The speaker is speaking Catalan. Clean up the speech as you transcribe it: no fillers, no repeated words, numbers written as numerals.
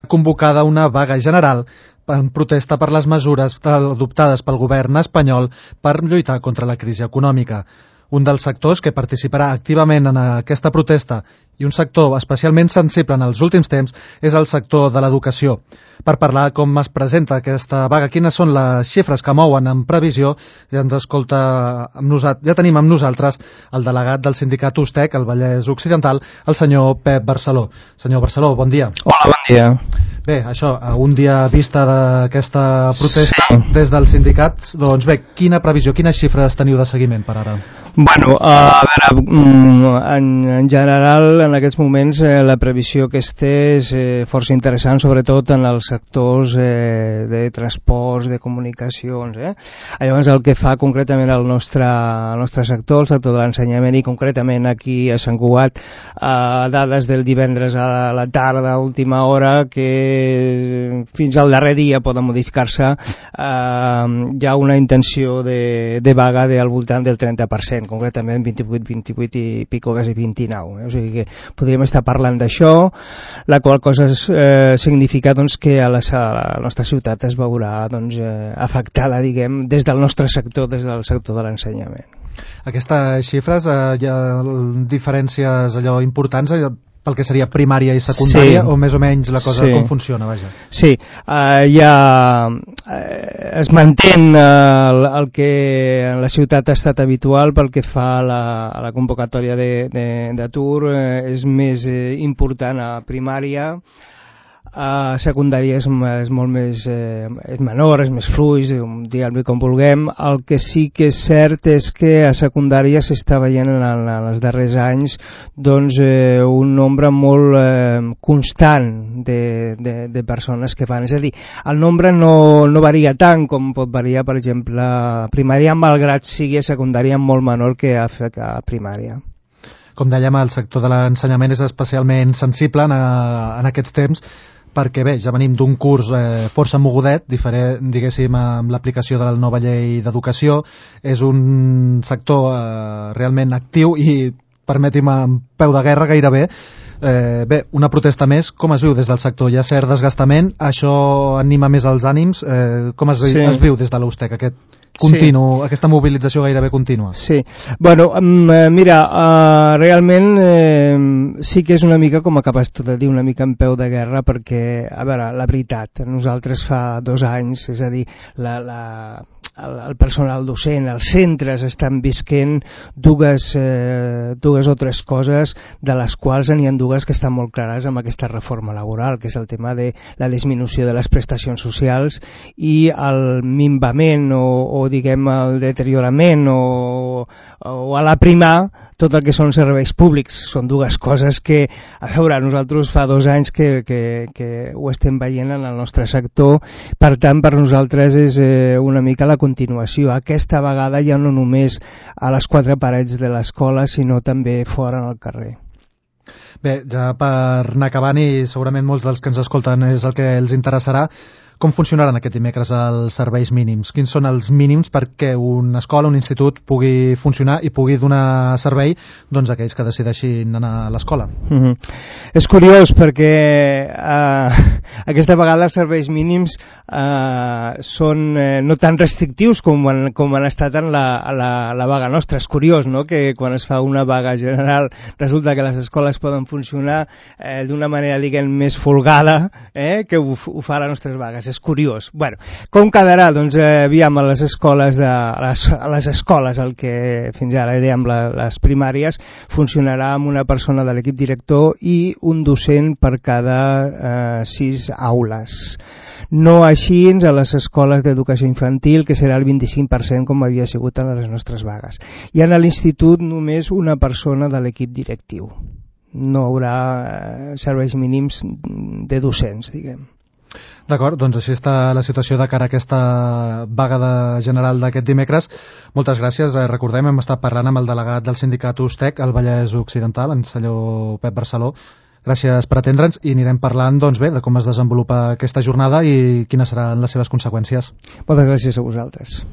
convocada una vaga general en protesta per les mesures adoptades pel govern espanyol per lluitar contra la crisi econòmica. Un dels sectors que participarà activament en aquesta protesta i un sector especialment sensible en els últims temps és el sector de l'educació. Per parlar com es presenta aquesta vaga, quines són les xifres que mouen en previsió, ja tenim amb nosaltres el delegat del sindicat USTEC, el Vallès Occidental, el senyor Pep Barceló. Senyor Barceló, bon dia. Hola, bon dia. Bé, això, un dia vista d'aquesta protesta des del sindicat, doncs bé, quina previsió, quines xifres teniu de seguiment per ara? Bueno, a veure, en general, en aquests moments, la previsió que es té és força interessant, sobretot en els sectors de transports, de comunicacions. Llavors, el que fa concretament el nostre sector, el sector de l'ensenyament, i concretament aquí a Sant Cugat, dades del divendres a la tarda, a última hora, que fins al darrer dia poden modificar-se, hi ha una intenció de vaga al voltant del 30%, concretament 28 i pico, quasi 29. O sigui que podríem estar parlant d'això, la qual cosa significa doncs, que a la nostra ciutat es veurà afectada, diguem, des del nostre sector, des del sector de l'ensenyament. Aquestes xifres, hi ha diferències importants pel que seria primària i secundària, sí, o més o menys la cosa, sí, com funciona, vaja? Sí, es manté el que en la ciutat ha estat habitual pel que fa a la convocatòria d'atur, és més important a primària. A secundària és molt més és menor, és més fluix, diguem-li com vulguem. El que sí que és cert és que a secundària s'està veient en els darrers anys un nombre molt constant de persones que fan. És a dir, el nombre no varia tant com pot variar, per exemple, a primària, malgrat sigui a secundària molt menor que a primària. Com dèiem, el sector de l'ensenyament és especialment sensible en aquests temps, perquè bé, ja venim d'un curs força mogudet, diguéssim, amb l'aplicació de la nova llei d'educació. És un sector realment actiu i, permeti'm, amb peu de guerra gairebé. Bé, una protesta més, com es viu des del sector? Hi ha cert desgastament? Això anima més els ànims? Com es viu des de l'USTEC, aquesta mobilització gairebé contínua? Sí, bueno, mira, realment sí que és una mica, com acabes tu de dir, una mica en peu de guerra, perquè, a veure, la veritat, nosaltres fa 2 anys, és a dir, el personal docent, els centres estan visquent dues o tres coses, de les quals n'hi ha dues que estan molt clares amb aquesta reforma laboral, que és el tema de la disminució de les prestacions socials i el minvament o diguem el deteriorament o a l'aprimar tot el que són serveis públics. Són dues coses que, a veure, nosaltres fa 2 anys que ho estem veient en el nostre sector. Per tant, per nosaltres és una mica la continuació. Aquesta vegada ja no només a les 4 parets de l'escola, sinó també fora al carrer. Bé, ja per anar acabant, i segurament molts dels que ens escolten és el que els interessarà, com funcionaran aquest dimecres els serveis mínims? Quins són els mínims perquè una escola, un institut pugui funcionar i pugui donar servei a aquells que decideixin anar a l'escola? És curiós perquè aquesta vegada els serveis mínims són no tan restrictius com han estat en la vaga nostra. És curiós, no?, que quan es fa una vaga general resulta que les escoles poden funcionar d'una manera, diguem, més folgada que ho fa les nostres vagues. És curiós. Bueno, com quedarà? Doncs aviam, a les escoles, el que fins ara dèiem les primàries, funcionarà amb una persona de l'equip director i un docent per cada 6 aules. No així a les escoles d'educació infantil, que serà el 25% com havia sigut en les nostres vagues. I a l'institut només una persona de l'equip directiu. No hi haurà serveis mínims de docents, diguem. D'acord, doncs així està la situació de cara a aquesta vaga general d'aquest dimecres. Moltes gràcies. Recordem, hem estat parlant amb el delegat del sindicat USTEC, al Vallès Occidental, en senyor Pep Barceló. Gràcies per atendre'ns i anirem parlant de com es desenvolupa aquesta jornada i quines seran les seves conseqüències. Moltes gràcies a vosaltres.